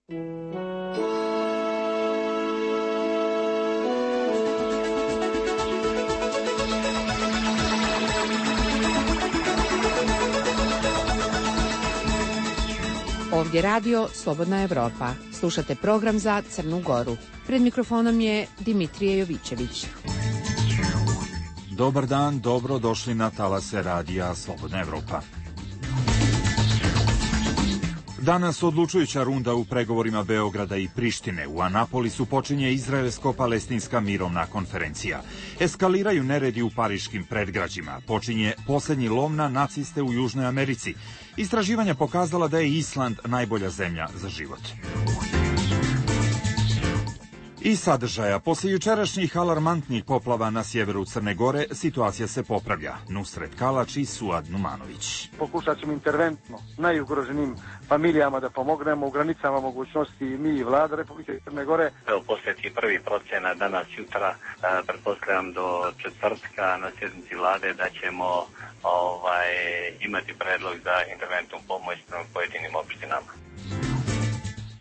Ovdje radio Slobodna Evropa. Slušate program za Crnu Goru. Pred mikrofonom je Dimitrije Jovićević. Dobar dan, dobro došli na talase radija Slobodna Evropa. Danas odlučujuća runda u pregovorima Beograda i Prištine. U Anapolisu počinje izraelsko-palestinska mirovna konferencija. Eskaliraju neredi u pariškim predgrađima. Počinje posljednji lov na naciste u Južnoj Americi. Istraživanja pokazala da je Island najbolja zemlja za život. I sadržaja. Poslije jučerašnjih alarmantnih poplava na sjeveru Crne Gore, situacija se popravlja. Nusret Kalač i Suad Numanović. Pokušat ćemo interventno najugroženim familijama da pomognemo u granicama mogućnosti mi i vlada Republike Crne Gore. Evo, posljednji prvi procena danas jutra, pretpostavljam do četvrtka na sjednici vlade da ćemo imati predlog za interventnu pomoć na pojedinim opštinama.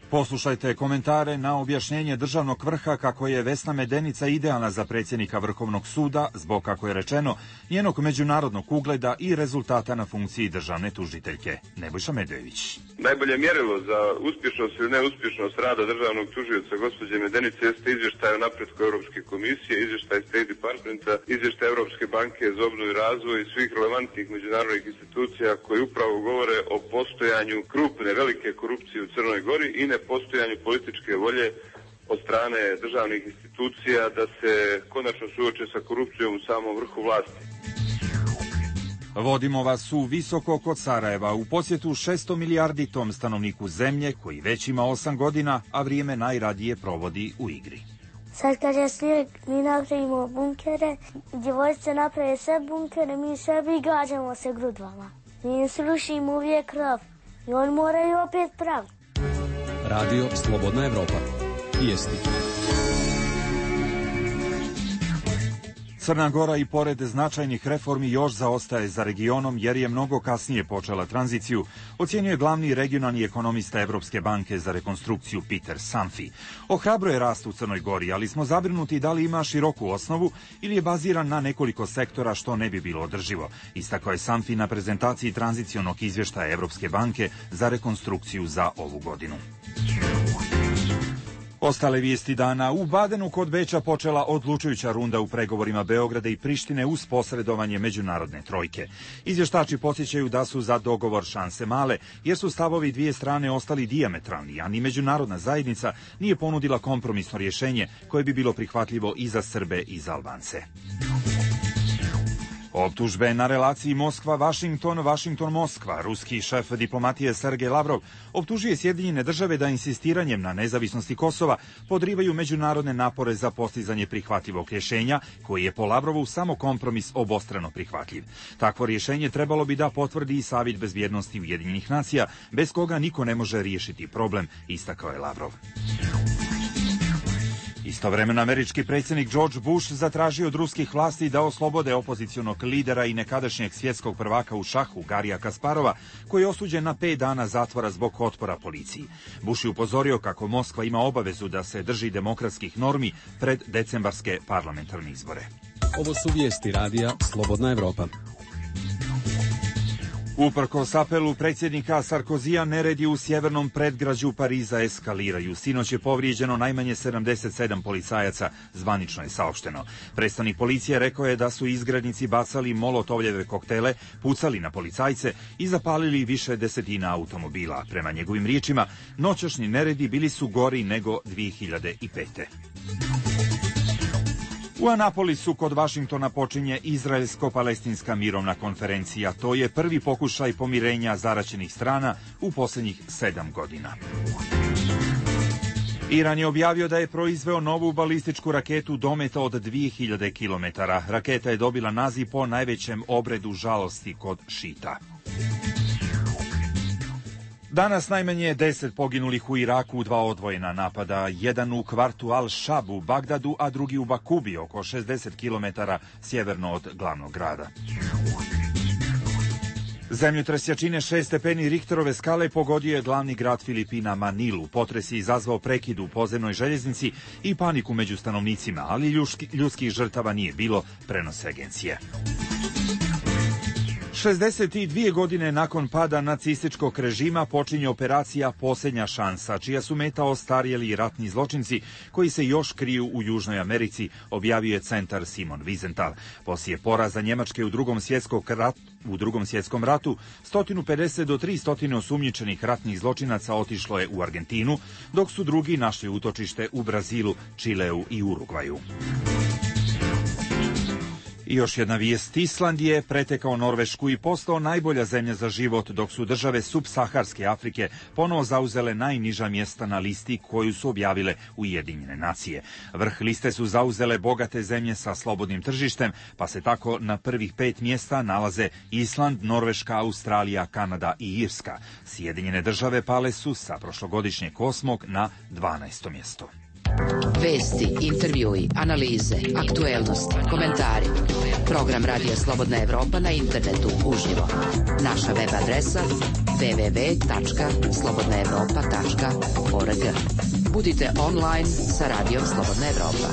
Poslušajte komentare na objašnjenje državnog vrha kako je Vesna Medenica idealna za predsjednika Vrhovnog suda zbog, kako je rečeno, njenog međunarodnog ugleda i rezultata na funkciji državne tužiteljke. Nebojša Medojević. Najbolje mjerilo za uspješnost ili neuspješnost rada državnog tužioca gospođe Medenice jeste izvještaj o napretku Europske komisije, izvještaj State Departmenta, izvještaj Europske banke za obnovu i razvoj i svih relevantnih međunarodnih institucija koji upravo govore o postojanju krupne, velike korupcije u Crnoj Gori i nepostojanju političke volje od strane državnih institucija da se konačno suoče sa korupcijom u samom vrhu vlasti. Vodimo vas u visoko kod Sarajeva u posjetu 600 milijarditom stanovniku zemlje koji već ima 8 godina, a vrijeme najradije provodi u igri. Sad kad je snijeg, mi napravimo bunkere, djevojčice naprave sve bunkere, mi sebi gađamo se grudvama. Mi im srušimo uvijek krov i oni moraju opet praviti. Radio Slobodna Evropa. Vijesti. Crna Gora i pored značajnih reformi još zaostaje za regionom jer je mnogo kasnije počela tranziciju, ocjenjuje glavni regionalni ekonomista Evropske banke za rekonstrukciju Peter Sanfi. Ohrabruje rast u Crnoj Gori, ali smo zabrinuti da li ima široku osnovu ili je baziran na nekoliko sektora što ne bi bilo održivo. Istakao je Sanfi na prezentaciji tranzicionog izvještaja Evropske banke za rekonstrukciju za ovu godinu. Ostale vijesti dana. U Badenu kod Beča počela odlučujuća runda u pregovorima Beograda i Prištine uz posredovanje međunarodne trojke. Izvještači podsjećaju da su za dogovor šanse male, jer su stavovi dvije strane ostali dijametralni, a ni međunarodna zajednica nije ponudila kompromisno rješenje koje bi bilo prihvatljivo i za Srbe i za Albance. Optužbe na relaciji Moskva-Vašington, Vašington-Moskva. Ruski šef diplomatije Sergej Lavrov optužuje Sjedinjene države da insistiranjem na nezavisnosti Kosova podrivaju međunarodne napore za postizanje prihvatljivog rješenja, koji je po Lavrovu samo kompromis obostrano prihvatljiv. Takvo rješenje trebalo bi da potvrdi i Savjet bezbjednosti Ujedinjenih nacija, bez koga niko ne može riješiti problem, istakao je Lavrov. Istovremeno američki predsjednik George Bush zatražio od ruskih vlasti da oslobode opozicionog lidera i nekadašnjeg svjetskog prvaka u šahu Garija Kasparova, koji je osuđen na 5 dana zatvora zbog otpora policiji. Bush je upozorio kako Moskva ima obavezu da se drži demokratskih normi pred decembarske parlamentarne izbore. Ovo su vijesti radija Slobodna Evropa. Uprkos apelu predsjednika Sarkozija, neredi u sjevernom predgrađu Pariza eskaliraju. Sinoć je povrijeđeno najmanje 77 policajaca, zvanično je saopšteno. Predstavnik policije rekao je da su izgrednici bacali molotovljeve koktele, pucali na policajce i zapalili više desetina automobila. Prema njegovim riječima, noćašnji neredi bili su gori nego 2005. U Anapolisu kod Vašingtona počinje izraelsko-palestinska mirovna konferencija. To je prvi pokušaj pomirenja zaraćenih strana u posljednjih 7 godina. Iran je objavio da je proizveo novu balističku raketu dometa od 2000 km. Raketa je dobila naziv po najvećem obredu žalosti kod šita. Danas najmanje 10 poginulih u Iraku u 2 odvojena napada, jedan u kvartu Al-Shab u Bagdadu, a drugi u Bakubi, oko 60 km sjeverno od glavnog grada. Zemljotres jačine 6 stepeni Richterove skale pogodio je glavni grad Filipina Manilu. Potres je izazvao prekid u podzemnoj željeznici i paniku među stanovnicima, ali ljudskih žrtava nije bilo, prenose agencije. 62 godine nakon pada nacističkog režima počinje operacija Posljednja šansa, čija su meta ostarjeli ratni zločinci koji se još kriju u Južnoj Americi, objavio je centar Simon Wiesenthal. Poslije poraza Njemačke u Drugom svjetskom ratu, 150 do 300 osumnjičenih ratnih zločinaca otišlo je u Argentinu, dok su drugi našli utočište u Brazilu, Čileu i Urugvaju. I još jedna vijest. Island je pretekao Norvešku i postao najbolja zemlja za život, dok su države subsaharske Afrike ponovo zauzele najniža mjesta na listi koju su objavile Ujedinjene nacije. Vrh liste su zauzele bogate zemlje sa slobodnim tržištem, pa se tako na prvih 5 mjesta nalaze Island, Norveška, Australija, Kanada i Irska. Sjedinjene države pale su sa prošlogodišnjeg 8. na 12. mjesto. Vesti, intervjui, analize, aktuelnosti, komentari. Program Radija Slobodna Evropa na internetu uživo. Naša web adresa www.slobodnaevropa.org. Budite online sa Radijom Slobodna Evropa.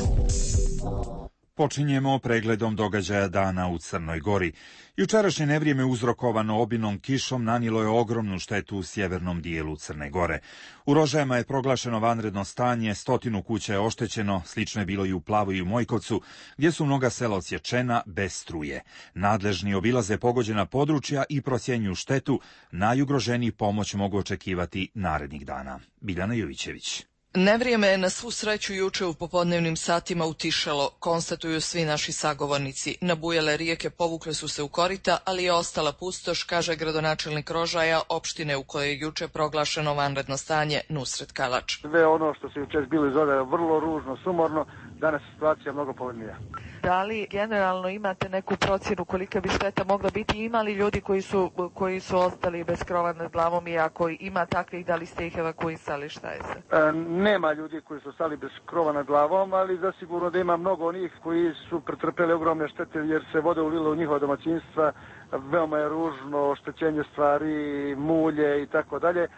Počinjemo pregledom događaja dana u Crnoj Gori. Jučerašnje nevrijeme uzrokovano obilnom kišom nanijelo je ogromnu štetu u sjevernom dijelu Crne Gore. U Rožajama je proglašeno vanredno stanje, 100 kuća je oštećeno, slično je bilo i u Plavu i u Mojkovcu, gdje su mnoga sela odsječena bez struje. Nadležni obilaze pogođena područja i procjenjuju štetu, najugroženiji pomoć mogu očekivati narednih dana. Biljana Jovićević. Nevrijeme je na svu sreću juče u popodnevnim satima utišalo, konstatuju svi naši sagovornici. Nabujale rijeke povukle su se u korita, ali je ostala pustoš, kaže gradonačelnik Rožaja, opštine u kojoj je juče proglašeno vanredno stanje, Nusret Kalač. Sve ono što se juče bilo izgleda vrlo ružno, sumorno, danas je situacija mnogo povoljnija. Da li generalno imate neku procjenu kolika bi šteta mogla biti? Ima li ljudi koji su ostali bez krova nad glavom i ako ima takvih, da li ste ih evakuisali, šta je se? Nema ljudi koji su ostali bez krova nad glavom, ali zasigurno da ima mnogo onih koji su pretrpeli ogromne štete jer se voda ulila u njihova domaćinstva, veoma je ružno oštećenje stvari, mulje i tako dalje.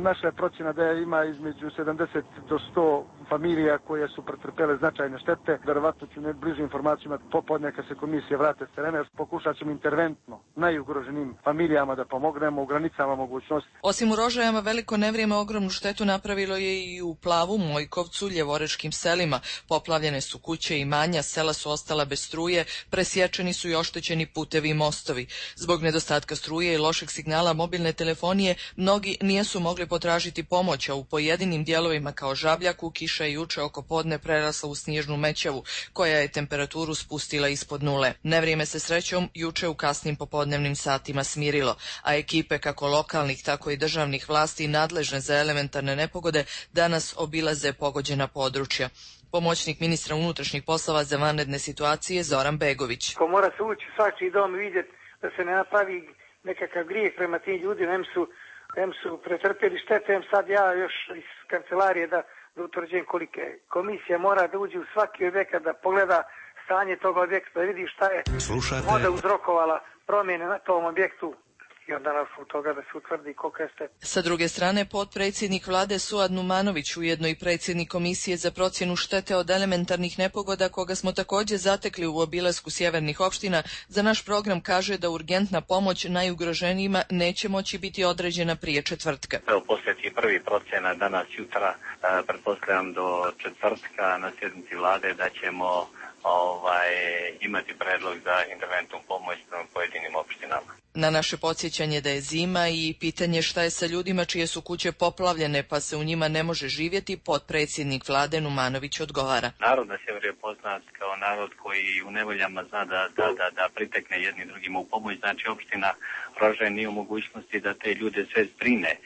Naša je procjena da ima između 70 do 100 familija koje su pretrpele značajne štete. Verovatno ću bližu informacijama popodne kad se komisije vrate s terena, pokušat ćemo interventno najugroženim familijama da pomognemo u granicama mogućnosti. Osim u Rožajama, veliko nevrijeme ogromnu štetu napravilo je i u Plavu, Mojkovcu, Ljevoreškim selima. Poplavljene su kuće i imanja, sela su ostala bez struje, presječeni su i oštećeni putevi i mostovi. Zbog nedostatka struje i lošeg signala mobilne telefonije, mnogi nisu mogli potražiti pomoć, a u pojedinim dijelovima kao Žabljaku kiša je juče oko podne prerasla u snježnu mećavu, koja je temperaturu spustila ispod nule. Nevrijeme se srećom juče u kasnim popodnevnim satima smirilo, a ekipe kako lokalnih, tako i državnih vlasti nadležne za elementarne nepogode danas obilaze pogođena područja. Pomoćnik ministra unutrašnjih poslova za vanredne situacije Zoran Begović. Ko mora se ući svačiji dom vidjeti da se ne napravi nekakav grijeh prema tim ljudima, em su pretrpjeli štete, em sad ja još iz kancelarije da utvrđujem kolike. Komisija mora da uđe u svaki objekat da pogleda stanje tog objekta, da vidi šta je voda uzrokovala promjene na tom objektu i onda na osnovu toga da se utvrdi kolika je šteta. Sa druge strane, potpredsjednik vlade Suad Numanović, ujedno i predsjednik Komisije za procjenu štete od elementarnih nepogoda, koga smo također zatekli u obilasku sjevernih opština, za naš program kaže da urgentna pomoć najugroženijima neće moći biti određena prije četvrtka. Evo, posljednji prvi procjena danas jutra, pretpostavljam do četvrtka na sjednici vlade da ćemo imati predlog za interventnu pomoć prema pojedinim opštinama. Na naše podsjećanje da je zima i pitanje šta je sa ljudima čije su kuće poplavljene pa se u njima ne može živjeti, potpredsjednik vlade Numanović odgovara. Narod na sjeveru je poznat kao narod koji u nevoljama zna da pritekne jedni drugima u pomoć. Znači opština Rožaje nije u mogućnosti da te ljude sve zbrine,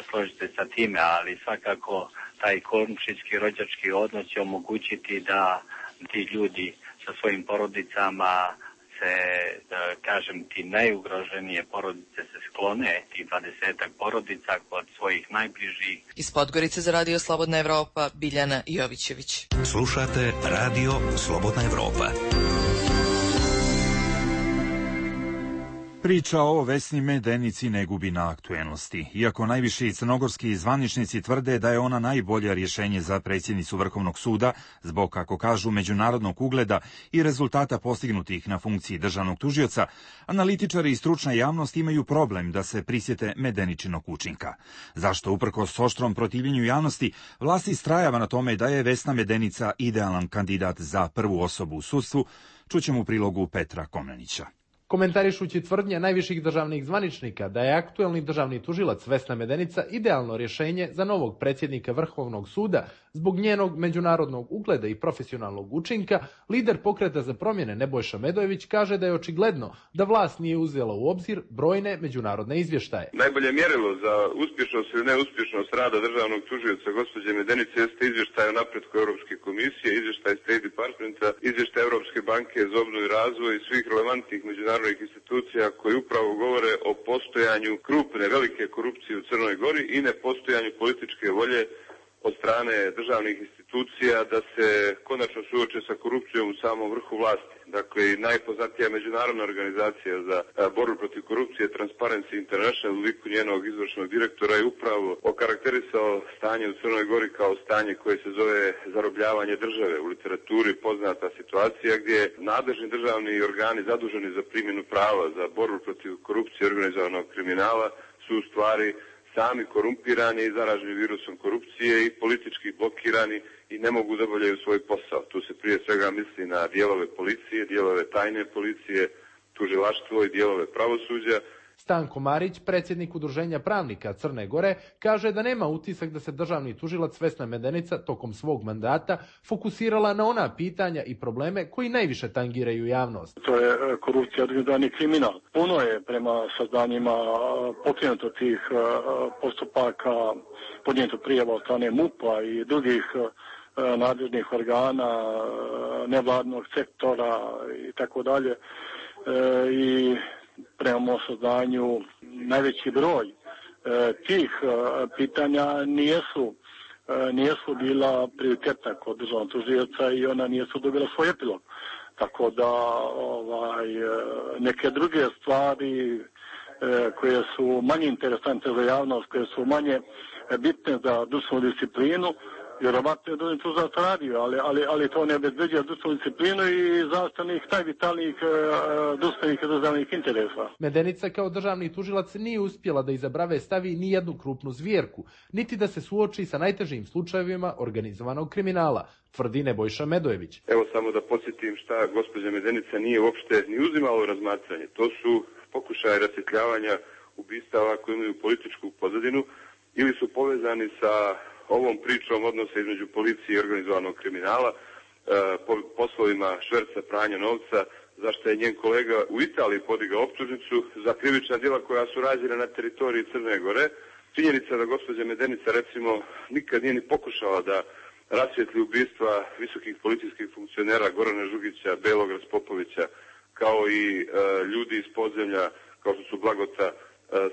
složite sa time, ali svakako taj komšijski rođački odnos će omogućiti da ti ljudi sa svojim porodicama se, kažem ti, najugroženije porodice se sklone, ti 20-ak porodica kod svojih najbližih. Iz Podgorice za Radio Slobodna Evropa, Biljana Jovićević. Slušate Radio Slobodna Evropa. Priča o Vesni Medenici ne gubi na aktuelnosti. Iako najviši crnogorski zvaničnici tvrde da je ona najbolje rješenje za predsjednicu Vrhovnog suda, zbog, kako kažu, međunarodnog ugleda i rezultata postignutih na funkciji državnog tužioca, analitičari i stručna javnost imaju problem da se prisjete Medeničinog učinka. Zašto, uprkos oštrom protivljenju javnosti, vlast istrajava na tome da je Vesna Medenica idealan kandidat za prvu osobu u sudstvu, čućemo u prilogu Petra Komnenića. Komentarišući tvrdnje najviših državnih zvaničnika da je aktuelni državni tužilac Vesna Medenica idealno rješenje za novog predsjednika Vrhovnog suda zbog njenog međunarodnog ugleda i profesionalnog učinka, lider Pokreta za promjene Nebojša Medojević kaže da je očigledno da vlast nije uzela u obzir brojne međunarodne izvještaje. Najbolje mjerilo za uspješnost ili neuspješnost rada državnog tužioca gospođe Medenice jeste izvještaj o napretku Europske komisije, izvještaj State Departmenta, izvještaj Europske banke za obnovu i razvoj i svih relevantnih međunarodnih institucija koji upravo govore o postojanju krupne, velike korupcije u Crnoj Gori i nepostojanju političke volje od strane državnih institucija da se konačno suoče sa korupcijom u samom vrhu vlasti. Dakle, najpoznatija međunarodna organizacija za borbu protiv korupcije, Transparency International, u liku njenog izvršnog direktora, je upravo okarakterisao stanje u Crnoj Gori kao stanje koje se zove zarobljavanje države. U literaturi poznata situacija gdje nadležni državni organi zaduženi za primjenu prava za borbu protiv korupcije i organizovanog kriminala su u stvari sami korumpirani i zaraženi virusom korupcije i politički blokirani i ne mogu da obavljaju svoj posao. Tu se prije svega misli na dijelove policije, dijelove tajne policije, tužilaštvo i dijelove pravosuđa. Stanko Marić, predsjednik Udruženja pravnika Crne Gore, kaže da nema utisak da se državni tužilac Vesna Medenica tokom svog mandata fokusirala na ona pitanja i probleme koji najviše tangiraju javnost. To je korupcija, organizovani kriminal. Puno je prema saznanjima pokrenuto tih postupaka, podnijeto prijava od strane MUP-a i drugih nadležnih organa, nevladnog sektora i tako dalje. I prema saznanju najveći broj tih pitanja nijesu bila prioritetna kod državnog tužioca i ona nijesu dobila svoj epilog. Tako da neke druge stvari koje su manje interesantne za javnost, koje su manje bitne za društvenu disciplinu, vjerovatno je državni tužilac radio, ali to ne obezbeđuje društvenu disciplinu i zastavnih najvitalnijih društvenih i državnih interesa. Medenica kao državni tužilac nije uspjela da iza brave stavi ni jednu krupnu zvjerku, niti da se suoči sa najtežim slučajevima organizovanog kriminala, tvrdi Nebojša Medojević. Evo samo da podsjetim šta gospođa Medenica nije uopšte ni uzimala u razmatranje. To su pokušaje rasvjetljavanja ubistava koji imaju političku pozadinu ili su povezani sa ovom pričom odnosa između policije i organizovanog kriminala, poslovima šverca, pranja novca, zašto je njen kolega u Italiji podigao optužnicu za krivična djela koja su rađena na teritoriji Crne Gore. Činjenica da gospođa Medenica, recimo, nikad nije ni pokušala da rasvijetli ubistva visokih policijskih funkcionera Gorana Žugića, Belog Raspopovića, kao i ljudi iz podzemlja, kao što su Blagota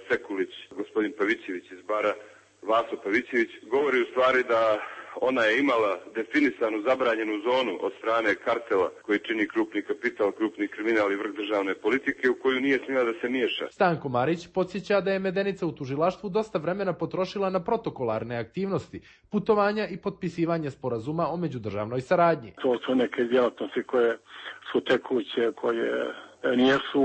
Sekulić, gospodin Pavićević iz Bara, Vaso Pavićević, govori u stvari da ona je imala definisanu zabranjenu zonu od strane kartela koji čini krupni kapital, krupni kriminal i vrh državne politike u koju nije smjela da se miješa. Stanko Marić podsjeća da je Medenica u tužilaštvu dosta vremena potrošila na protokolarne aktivnosti, putovanja i potpisivanje sporazuma o međudržavnoj saradnji. To su neke djelatnosti koje su tekuće, koje nijesu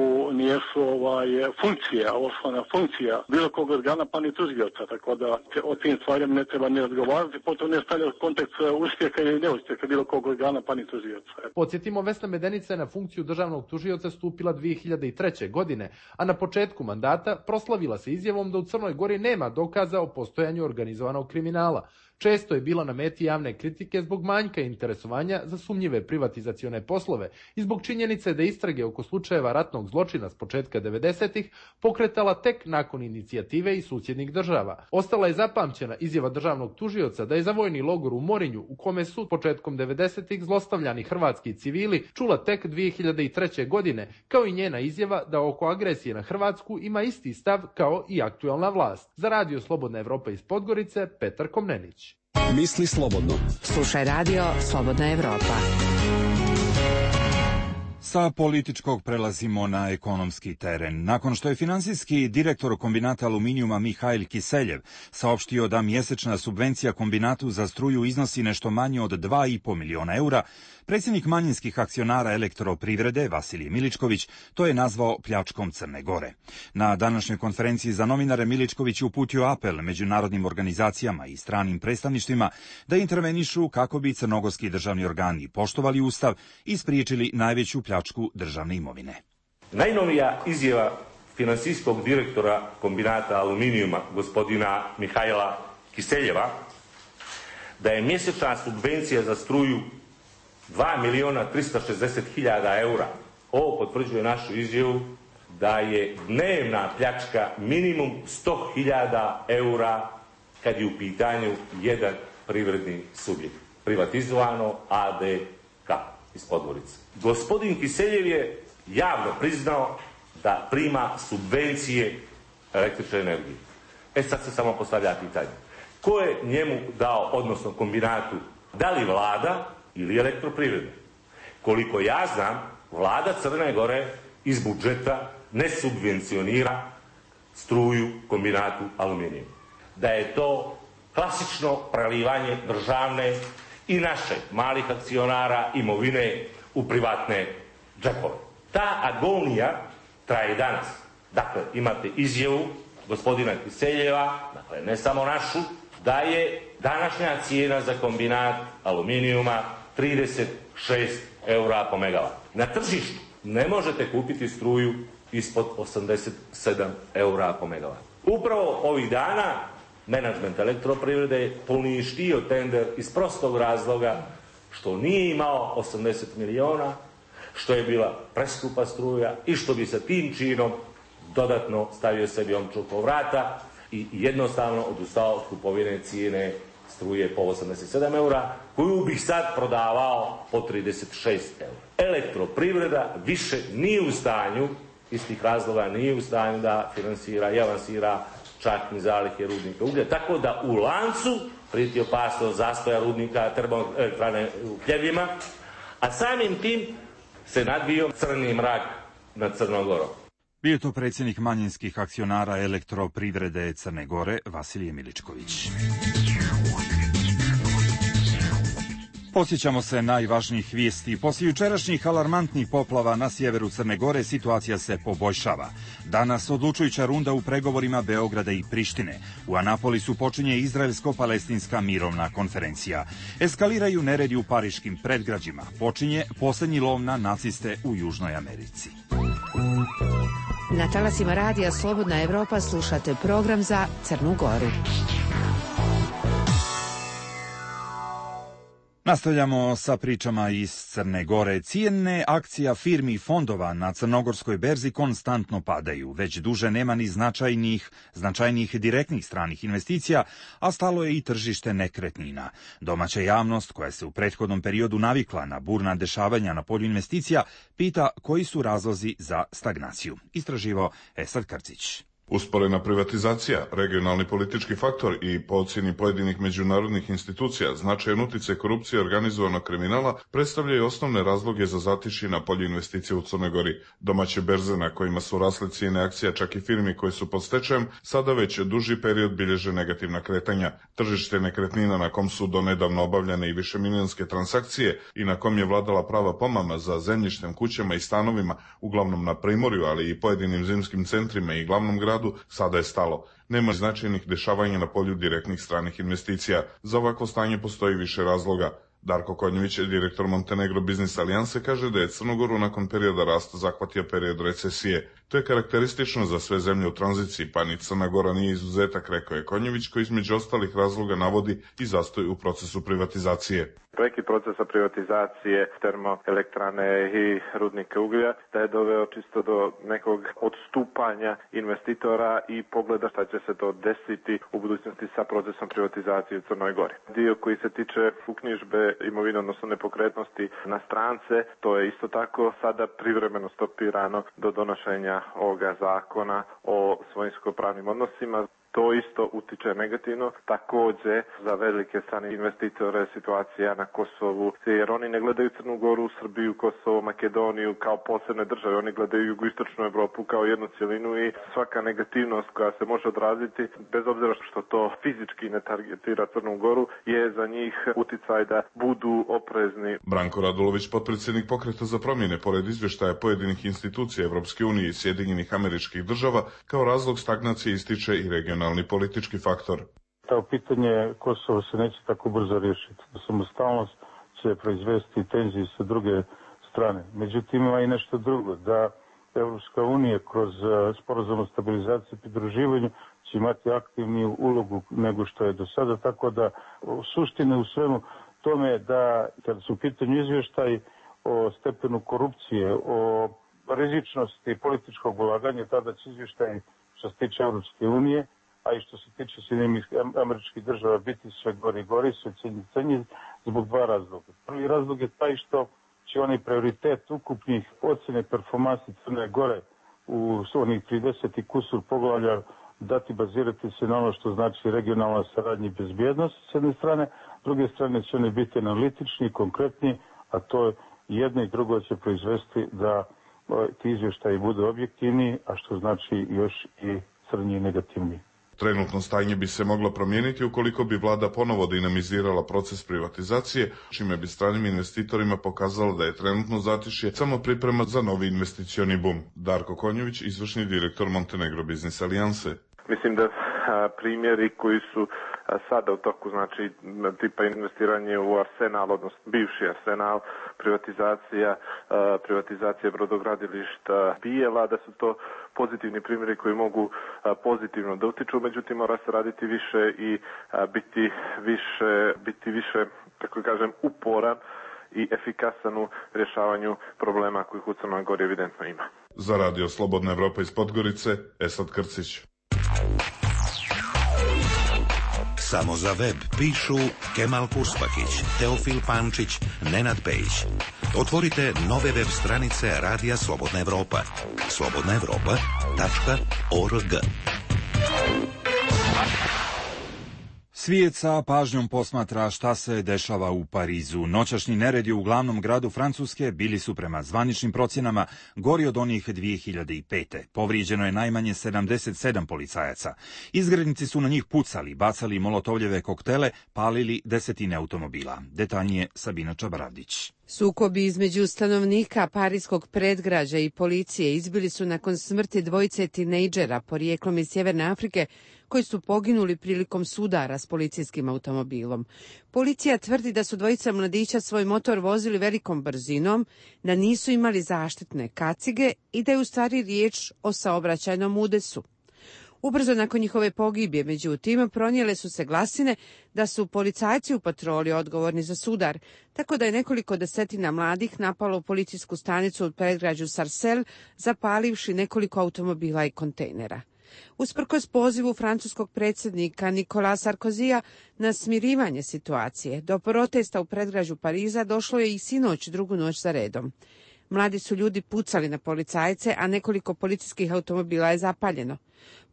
osnovna funkcija bilo kog organa pa ni tužioca, tako da o tim stvarima ne treba ni razgovarati, potom ne stavlja kontekst uspjeha ili neuspjeha bilo kog organa pa ni tužioca. Podsjetimo, Vesna Medenica je na funkciju državnog tužioca stupila 2003. godine, a na početku mandata proslavila se izjavom da u Crnoj Gori nema dokaza o postojanju organizovanog kriminala. Često je bila na meti javne kritike zbog manjka interesovanja za sumnjive privatizacione poslove i zbog činjenice da istrage oko slučajeva ratnog zločina s početka 90-ih pokretala tek nakon inicijative i susjednih država. Ostala je zapamćena izjava državnog tužioca da je za vojni logor u Morinju, u kome su početkom 90-ih zlostavljani hrvatski civili, čula tek 2003. godine, kao i njena izjava da oko agresije na Hrvatsku ima isti stav kao i aktualna vlast. Za Radio Slobodna Evropa iz Podgorice, Petar Komnenić. Misli slobodno. Slušaj Radio Slobodna Evropa. Sa političkog prelazimo na ekonomski teren. Nakon što je finansijski direktor kombinata aluminijuma Mihajl Kiseljev saopštio da mjesečna subvencija kombinatu za struju iznosi nešto manje od 2,5 miliona eura, predsjednik manjinskih akcionara Elektroprivrede Vasilije Miličković to je nazvao pljačkom Crne Gore. Na današnjoj konferenciji za novinare Miličković je uputio apel međunarodnim organizacijama i stranim predstavništvima da intervenišu kako bi crnogorski državni organi poštovali ustav i spriječili najveću pljačku državne imovine. Najnovija izjava finansijskog direktora kombinata aluminijuma gospodina Mihajla Kiseljeva da je mjesečna subvencija za struju 2.360.000 eura. Ovo potvrđuje našu izjavu da je dnevna pljačka minimum 100.000 eura kad je u pitanju jedan privredni subjekt. Privatizovano ADK iz Podgorice. Gospodin Kiseljev je javno priznao da prima subvencije električne energije. Sad se samo postavlja pitanje. Ko je njemu dao, odnosno kombinatu, da li vlada ili Elektroprivreda? Koliko ja znam, vlada Crne Gore iz budžeta ne subvencionira struju kombinatu aluminijuma. Da je to klasično prelivanje državne i naše malih akcionara imovine u privatne džepove. Ta agonija traje danas. Dakle, imate izjavu gospodina Kiseljeva, dakle ne samo našu, da je današnja cijena za kombinat aluminijuma 36 eura po megavat. Na tržištu ne možete kupiti struju ispod 87 eura po megavat. Upravo ovih dana menadžment Elektroprivrede je poništio tender iz prostog razloga što nije imao 80 miliona, što je bila preskupa struja i što bi sa tim činom dodatno stavio sebi omču oko vrata i jednostavno odustao od kupovine cijene struje po 87 eura, koju bih sad prodavao po 36 eura. Elektroprivreda više nije u stanju, iz tih razloga nije u stanju da finansira i avansira čak ni zalihe rudnika uglja, tako da u lancu prijeti opasnost zastoja rudnika termoelektrane u Pljevljima, a samim tim se nadvio crni mrak nad Crnom Gorom. Bio je to predsjednik manjinskih akcionara Elektroprivrede Crne Gore Vasilije Miličković. Posjećamo se najvažnijih vijesti. Poslije jučerašnjih alarmantnih poplava na sjeveru Crne Gore situacija se poboljšava. Danas odlučujuća runda u pregovorima Beograda i Prištine. U Anapolisu počinje izraelsko-palestinska mirovna konferencija. Eskaliraju neredi u pariškim predgrađima. Počinje posljednji lov na naciste u Južnoj Americi. Na talasima radija Slobodna Evropa slušate program za Crnu Goru. Nastavljamo sa pričama iz Crne Gore. Cijene akcija firmi i fondova na crnogorskoj berzi konstantno padaju. Već duže nema ni značajnijih direktnih stranih investicija, a stalo je i tržište nekretnina. Domaća javnost, koja se u prethodnom periodu navikla na burna dešavanja na polju investicija, pita koji su razlozi za stagnaciju. Istraživao Esad Krcić. Usporena privatizacija, regionalni politički faktor i po ocjeni pojedinih međunarodnih institucija značajan utjecaj korupcije i organizovanog kriminala predstavljaju osnovne razloge za zatišje na polju investicija u Crnoj Gori. Domaće berze na kojima su rasle cijene akcija čak i firmi koje su pod stečajem sada već duži period bilježe negativna kretanja. Tržište nekretnina na kom su donedavno obavljane i višemilijonske transakcije i na kom je vladala prava pomama za zemljištem, kućama i stanovima, uglavnom na primorju, ali i pojedinim zimskim centrima i glavnom gradu, sada je stalo. Nema značajnih dešavanja na polju direktnih stranih investicija. Za ovako stanje postoji više razloga. Darko Konjević, direktor Montenegro Biznis Alijanse, kaže da je Crnogoru nakon perioda rasta zahvatio period recesije. To je karakteristično za sve zemlje u tranziciji, pa ni Crna Gora nije izuzetak, rekao je Konjević, koji između ostalih razloga navodi i zastoj u procesu privatizacije. Prekid procesa privatizacije termoelektrane i rudnika uglja da je doveo čisto do nekog odstupanja investitora i pogleda šta će se to desiti u budućnosti sa procesom privatizacije u Crnoj Gori. Dio koji se tiče uknjižbe imovine, odnosno nepokretnosti na strance, to je isto tako sada privremeno stopirano do donošenja ovoga zakona o svojinsko-pravnim odnosima. to isto utiče negativno. Također za velike strane investitore situacija na Kosovu, jer oni ne gledaju Crnu Goru, Srbiju, Kosovo, Makedoniju kao posebne države, oni gledaju jugoistočnu Evropu kao jednu cjelinu i svaka negativnost koja se može odraziti, bez obzira što to fizički ne targetira Crnu Goru, je za njih uticaj da budu oprezni. Branko Radulović, potpredsjednik Pokreta za promjene, pored izvještaja pojedinih institucija Evropske unije i Sjedinjenih Američkih Država, kao razlog stagnacije ističe i regionalni politički faktor. To pitanje Kosova se neće tako brzo riješiti. Samostalnost će proizvesti tenzije sa druge strane. Međutim, ima i nešto drugo, da Evropska unija kroz sporazum o stabilizaciji i pridruživanju će imati aktivniju ulogu nego što je do sada, tako da suština u svemu tome je da kada su u pitanju izvještaj o stepenu korupcije, o rizičnosti političkog ulaganja, tada će izvještaj što se tiče Evropske unije, a i što se tiče Sjedinjenih Američkih Država biti sve gori i gori, sve cenji zbog dva razloga. Prvi razlog je taj što će onaj prioritet ukupnih ocjene performansi Crne Gore u onih 30 i kusur poglavlja dati bazirati se na ono što znači regionalna saradnja i bezbjednost s jedne strane, s druge strane će oni biti analitični, konkretni, a to jedno i drugo će proizvesti da ti izvještaji budu objektivni, a što znači još i crnji i negativni. Trenutno stanje bi se moglo promijeniti ukoliko bi vlada ponovo dinamizirala proces privatizacije, čime bi stranim investitorima pokazalo da je trenutno zatišje samo priprema za novi investicioni bum. Darko Konjović, izvršni direktor Montenegro Business Alijanse. Mislim da primjeri koji su sada u toku, znači tipa investiranje u Arsenal, odnosno bivši Arsenal, privatizacija brodogradilišta Bijela, da su to pozitivni primjeri koji mogu pozitivno da utiču, međutim mora se raditi više i biti više, kako kažem, uporan i efikasan u rješavanju problema kojih u Crnoj Gori evidentno ima. Za Radio Slobodna Evropa iz Podgorice, Esad Krcić. Samo za web pišu Kemal Kuspakić, Teofil Pančić, Nenad Pejić. Otvorite nove web stranice Radija Slobodna Evropa. slobodnaevropa.org. Svijet sa pažnjom posmatra šta se dešava u Parizu. Noćašnji neredi u glavnom gradu Francuske bili su prema zvaničnim procjenama gori od onih 2005. Povrijeđeno je najmanje 77 policajaca. Izgrednici su na njih pucali, bacali molotovljeve koktele, palili desetine automobila. Detaljnije Sabina Čabaravdić. Sukobi između stanovnika parijskog predgrađa i policije izbili su nakon smrti dvojice tinejdžera porijeklom iz Sjeverne Afrike koji su poginuli prilikom sudara s policijskim automobilom. Policija tvrdi da su dvojica mladića svoj motor vozili velikom brzinom, da nisu imali zaštitne kacige i da je u stvari riječ o saobraćajnom udesu. Ubrzo nakon njihove pogibije, međutim, pronijele su se glasine da su policajci u patroli odgovorni za sudar, tako da je nekoliko desetina mladih napalo policijsku stanicu u predgrađu Sarcelles, zapalivši nekoliko automobila i kontejnera. Usprkos pozivu francuskog predsjednika Nicolas Sarkozija na smirivanje situacije, do protesta u predgrađu Pariza došlo je i sinoć drugu noć za redom. Mladi su ljudi pucali na policajce, a nekoliko policijskih automobila je zapaljeno.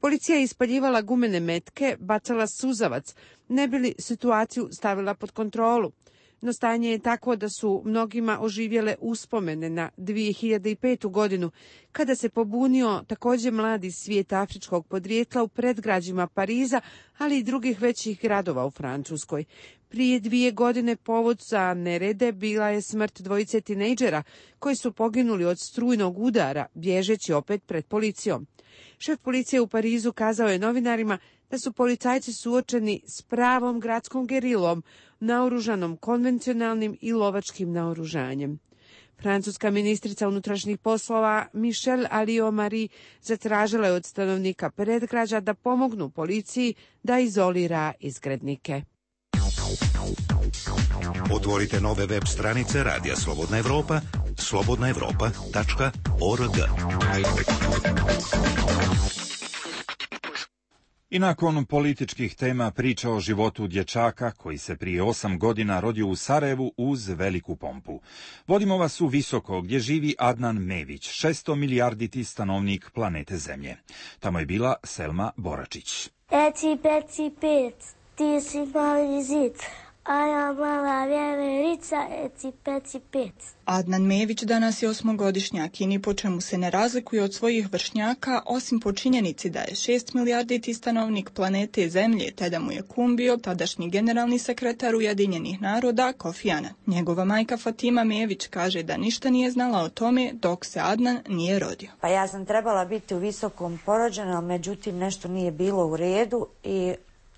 Policija je ispaljivala gumene metke, bacala suzavac, ne bi li situaciju stavila pod kontrolu. No stanje je takvo da su mnogima oživjele uspomene na 2005. godinu, kada se pobunio također mladi svijet afričkog podrijetla u predgrađima Pariza, ali i drugih većih gradova u Francuskoj. Prije 2 godine povod za nerede bila je smrt dvojice tinejdžera koji su poginuli od strujnog udara, bježeći opet pred policijom. Šef policije u Parizu kazao je novinarima da su policajci suočeni s pravom gradskom gerilom, naoružanom konvencionalnim i lovačkim naoružanjem. Francuska ministrica unutrašnjih poslova Michelle Alliot-Marie zatražila je od stanovnika predgrađa da pomognu policiji da izolira izgrednike. Otvorite nove web stranice Radija Slobodna Evropa, slobodnaevropa.org. I nakon političkih tema priča o životu dječaka koji se prije 8 godina rodio u Sarajevu uz veliku pompu. Vodimo vas u Visoko gdje živi Adnan Mević, 600 milijarditi stanovnik planete Zemlje. Tamo je bila Selma Boračić. Eci, peci, pec, ti si mali zid, a ja mala vjeverica, eci, peci, pec. Adnan Mević danas je 8-godišnjak i ni po čemu se ne razlikuje od svojih vršnjaka, osim po činjenici da je 6 milijarditi stanovnik planete Zemlje, te da mu je kum bio tadašnji generalni sekretar Ujedinjenih naroda Kofi Anan. Njegova majka Fatima Mević kaže da ništa nije znala o tome dok se Adnan nije rodio. Pa ja sam trebala biti u Visokom porođena, međutim nešto nije bilo u redu i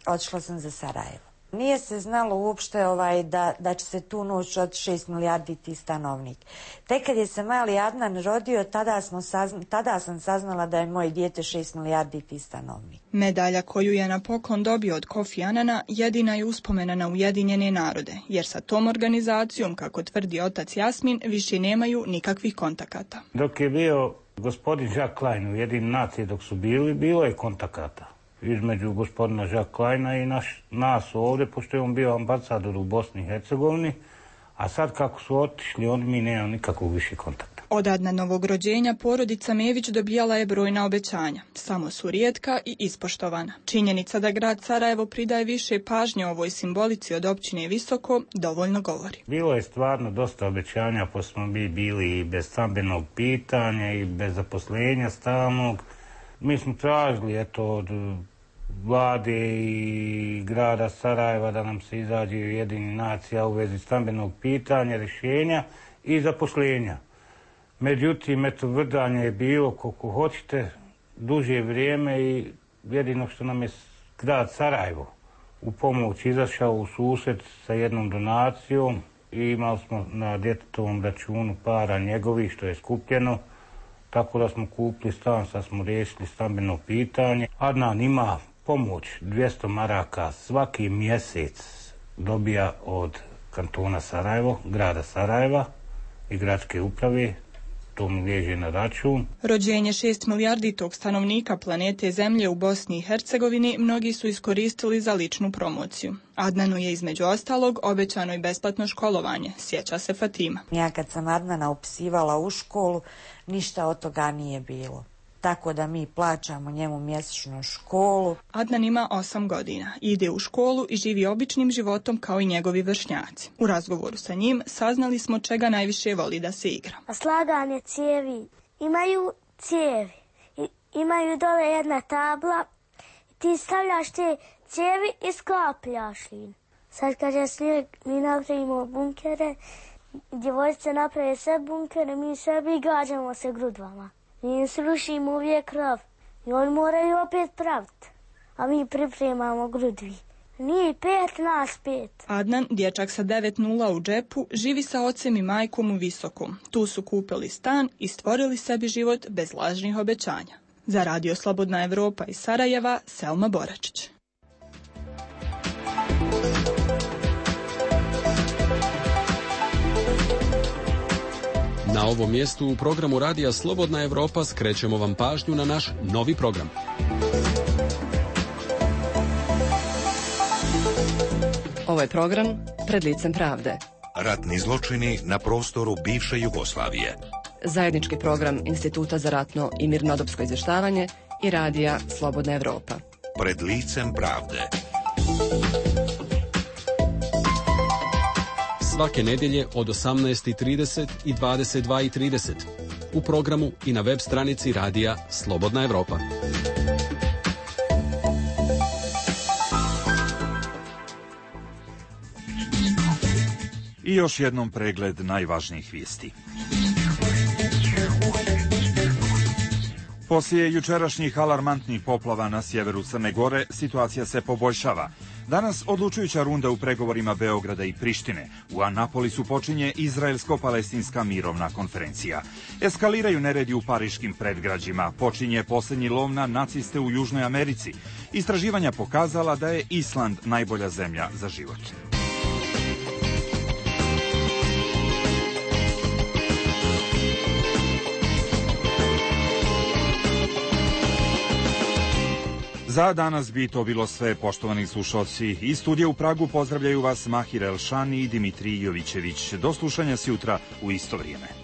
otišla sam za Sarajevo. Nije se znalo uopšte da će se tu noć od 6 milijarditi stanovnik. Tek kad je se mali Adnan rodio, tada sam saznala da je moje dijete 6 milijarditi stanovnik. Medalja koju je na poklon dobio od Kofi Anana jedina je uspomena na Ujedinjene narode, jer sa tom organizacijom, kako tvrdi otac Jasmin, više nemaju nikakvih kontakata. Dok je bio gospodin Jacques Klein u Ujedinjenim nacijama, dok su bili, bilo je kontakata između gospodina Jacques Kleina i nas ovdje, pošto je on bio ambasador u Bosni i Hercegovini, a sad kako su otišli, mi nemamo nikakvog više kontakta. Od Adnanovog rođenja porodica Mević dobijala je brojna obećanja, samo su rijetka i ispoštovana. Činjenica da grad Sarajevo pridaje više pažnje ovoj simbolici od općine Visoko dovoljno govori. Bilo je stvarno dosta obećanja, pa smo bili i bez stambenog pitanja i bez zaposlenja stalnog. Mi smo tražili od vlade i grada Sarajeva da nam se izađe Ujedinjenih nacija u vezi stambenog pitanja, rješenja i zaposlenja. Međutim, vrdanje je bilo koliko hoćete duže vrijeme i jedino što nam je grad Sarajevo u pomoć izašao u susret sa jednom donacijom i imali smo na djetetovom računu para njegovih što je skupljeno. Tako da smo kupili stan, sad smo riješili stambeno pitanje. Adnan ima pomoć 200 maraka svaki mjesec dobija od kantona Sarajevo, grada Sarajeva i gradske uprave. To mi liježe na račun. Rođenje 6 milijarditog stanovnika planete Zemlje u Bosni i Hercegovini mnogi su iskoristili za ličnu promociju. Adnanu je između ostalog obećano i besplatno školovanje, sjeća se Fatima. Ja kad sam Adnana upisivala u školu, ništa od toga nije bilo. Tako da mi plaćamo njemu mjesečnu školu. Adnan ima 8 godina, ide u školu i živi običnim životom kao i njegovi vršnjaci. U razgovoru sa njim saznali smo čega najviše voli da se igra. Slaganje cijevi. Imaju cijevi. Imaju dole jedna tabla. Ti stavljaš te cijevi i sklapljaš ih. Sad kad je snijeg, mi napravimo bunkere. Djevojčice naprave sve bunkere, mi sebi gađamo se grudvama. Mi im srušimo uvijek krov i oni moraju opet praviti, a mi pripremamo grudvi. Nije 5, nas 5. Adnan, dječak sa 9 nula u džepu, živi sa ocem i majkom u Visokom. Tu su kupili stan i stvorili sebi život bez lažnih obećanja. Za Radio Slobodna Evropa iz Sarajeva, Selma Boračić. Na ovom mjestu u programu Radija Slobodna Evropa skrećemo vam pažnju na naš novi program. Ovo je program Pred licem pravde. Ratni zločini na prostoru bivše Jugoslavije. Zajednički program Instituta za ratno i mirnodopsko izvještavanje i Radija Slobodna Evropa. Pred licem pravde. Svake nedjelje od 18:30 i 22:30 u programu i na web stranici Radija Slobodna Evropa. I još jednom pregled najvažnijih vijesti. Poslije jučerašnjih alarmantnih poplava na sjeveru Crne Gore, situacija se poboljšava. Danas odlučujuća runda u pregovorima Beograda i Prištine. U Anapolisu počinje Izraelsko-palestinska mirovna konferencija. Eskaliraju neredi u pariškim predgrađima. Počinje posljednji lov na naciste u Južnoj Americi. Istraživanja pokazala da je Island najbolja zemlja za život. Za danas bi to bilo sve, poštovani slušalci. Iz studija u Pragu pozdravljaju vas Mahir Elšani i Dimitrij Jovićević. Do slušanja sjutra u isto vrijeme.